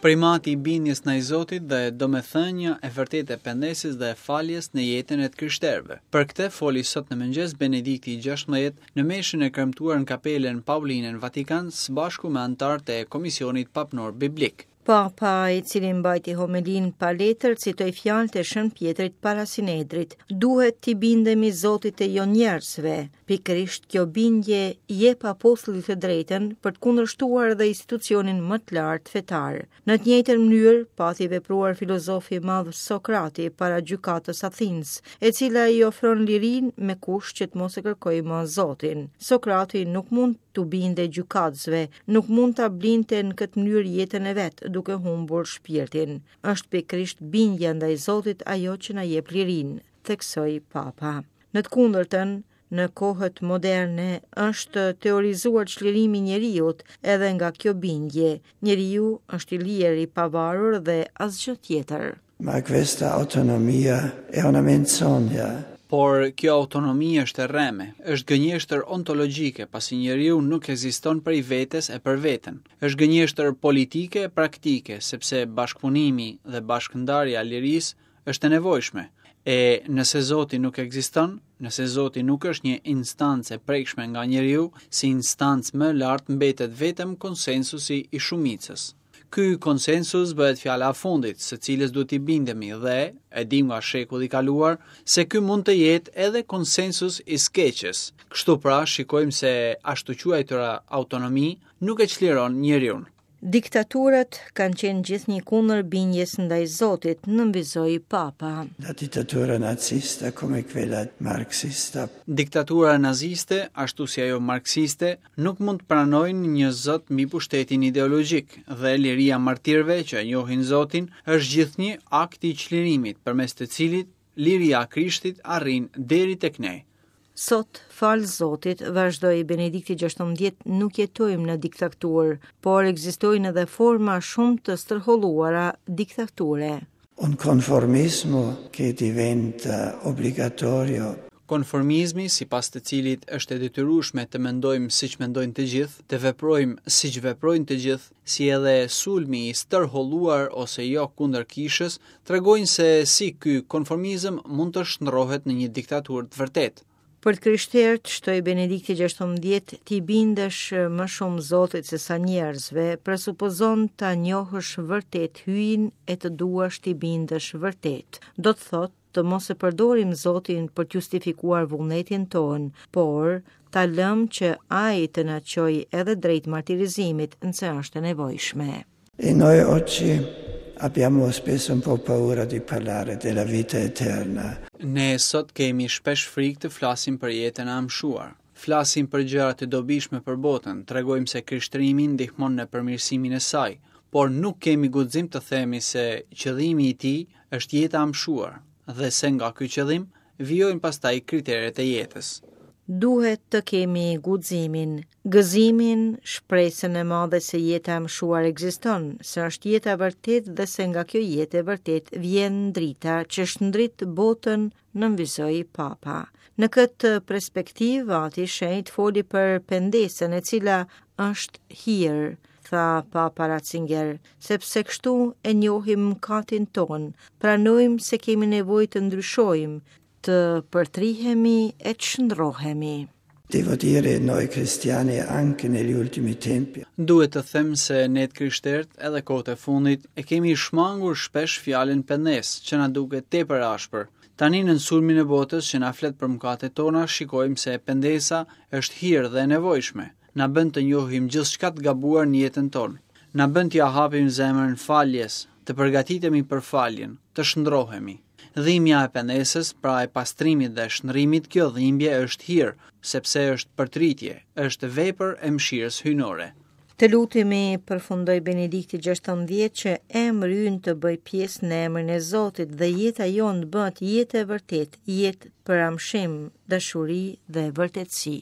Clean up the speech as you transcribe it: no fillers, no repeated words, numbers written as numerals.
Primati i bindjes ndaj Zotit dhe domethënia e vërtetë e pendesës dhe e faljes në jetën e të krishterëve. Për këtë foli sot në mëngjes Benedikti i XVI në meshën e kremtuar në Kapelën Pauline në Vatikan së bashku me anëtarët e Komisionit Papnor Biblik. Papa, i cili mbajti homelinë pa letër, citoi fjalët e Shën Pjetrit para Sinedrit. Duhet t'i bindemi Zotit e jo njerëzve. Pikërisht kjo bindje i jep apostullit të drejtën për të kundërshtuar edhe institucionin më të lartë fetar. Në të njëjtën mënyrë pati vepruar filozofi i madh Sokrati para gjykatës Athinës, e cila i ofron lirinë me kusht që të mos e kërkojë më Zotin. Sokrati nuk mund t'u bindej gjykatësve, nuk mund ta blinte në këtë mënyrë jetën e vet, duke humbur shpirtin. Është pikërisht bindja ndaj Zotit ajo që na jep lirinë, theksoi Papa. Në të kundërtën, në kohët moderne është teorizuar çlirimi i njeriut edhe nga kjo bindje. Njeriu është i lirë, i pavarur dhe asgjë tjetër. Ma questa autonomia è una menzogna. Por kjo autonomi është e rreme, është gënjeshtër ontologjike, pasi njeriu nuk ekziston prej vetes e për veten. Është gënjeshtër politike e praktike, sepse bashkëpunimi dhe bashkëndarja e lirisë është e nevojshme. E nëse Zoti nuk ekziston, nëse Zoti nuk është një instancë e prekshme nga njeriu, si instancë më e lartë mbetet vetëm konsensusi i shumicës. Ky konsensus bëhet fjala e fundit, së cilës duhet t'i bindemi dhe, e dimë nga shekulli i kaluar, se ky mund të jetë edhe konsensus i së keqes. Kështu pra, shikojmë se ashtuquajtura autonomi nuk e çliron njeriun. Diktaturat kanë qenë gjithnjë kundër bindjes ndaj Zotit, nënvizoi Papa. La dittatura nazista come quella marxista. Diktatura naziste, ashtu si ajo marksiste, nuk mund të pranojnë një zot mbi pushtetin ideologjik dhe liria e martirëve që e njohin Zotin është gjithnjë akti i çlirimit përmes të cilit liria e Krishtit arrin deri tek ne. Sot, falë Zotit, vazhdoi Benedikti XVI, nuk jetojmë në diktaturë, por ekzistojnë edhe forma shumë të stërholluara diktature. Un conformismo che diventa obbligatorio. Konformizmi, sipas të cilit është e detyrueshme të mendojmë siç mendojnë të gjithë, të veprojmë siç veprojnë të gjithë, si edhe sulmi i stërholluar ose jo kundër kishës, tregojnë se si ky konformizëm mund të shndërrohet në një diktaturë të vërtetë. Për të krishterët, shtoi Benedikti XVI, t'i bindesh më shumë Zotit se sa njerëzve, presupozon ta njohësh vërtet Hyjin e të duash t'i bindesh vërtet. Do të thotë të mos e përdorim Zotin për të justifikuar vullnetin tonë, por ta lëmë që ai të na çojë edhe drejt martirizimit nëse është e nevojshme. E noi oggi abbiamo spesso un po' paura di parlare della vita eterna. Ne sot kemi shpesh frikë të flasim për jetën e amshuar. Flasim për gjëra të dobishme për botën, tregojmë se krishtërimi ndihmon në përmirësimin e saj, por nuk kemi guxim të themi se qëllimi i tij është jeta e amshuar dhe se nga ky qëllim vijojnë pastaj kriteret e jetës. Duhet të kemi guximin, gëzimin, shpresën e madhe se jeta e amshuar ekziston, se është jeta e vërtetë dhe se nga kjo jetë e vërtetë vjen drita që shndrit botën nënvizoi Papa. Në këtë perspektivë, Ati i Shenjtë foli për pendesën e cila është hir, tha Papa Ratzinger, sepse kështu e njohim mëkatin tonë, pranojmë se kemi nevojë të ndryshojmë, të përtrihemi e të shndërrohemi. Devo dire noi cristiani anche negli ultimi tempi. Duhet të them se ne të krishterët edhe kohët e fundit e kemi shmangur shpesh fjalën pendesë, që na duket tepër e ashpër. Tani nën sulmin e botës që na flet për mëkatet tona, shikojmë se pendesa është hir dhe e nevojshme. Na bën të njohim gjithçka të gabuar në jetën tonë. Na bën t'ia hapim zemrën faljes, të përgatitemi për faljen, të shndërrohemi. Dhimbja e pendesës, pra e pastrimit dhe shndërrimit, kjo dhimbje është hir, sepse është përtëritje, është vepër e mëshirës hyjnore. Të lutemi, përfundoi Benedikti XVI, që emri ynë të bëjë pjesë në emrin e Zotit dhe jeta jonë të bëhet jetë e vërtetë, jetë për amshim, dashuri dhe vërtetësi.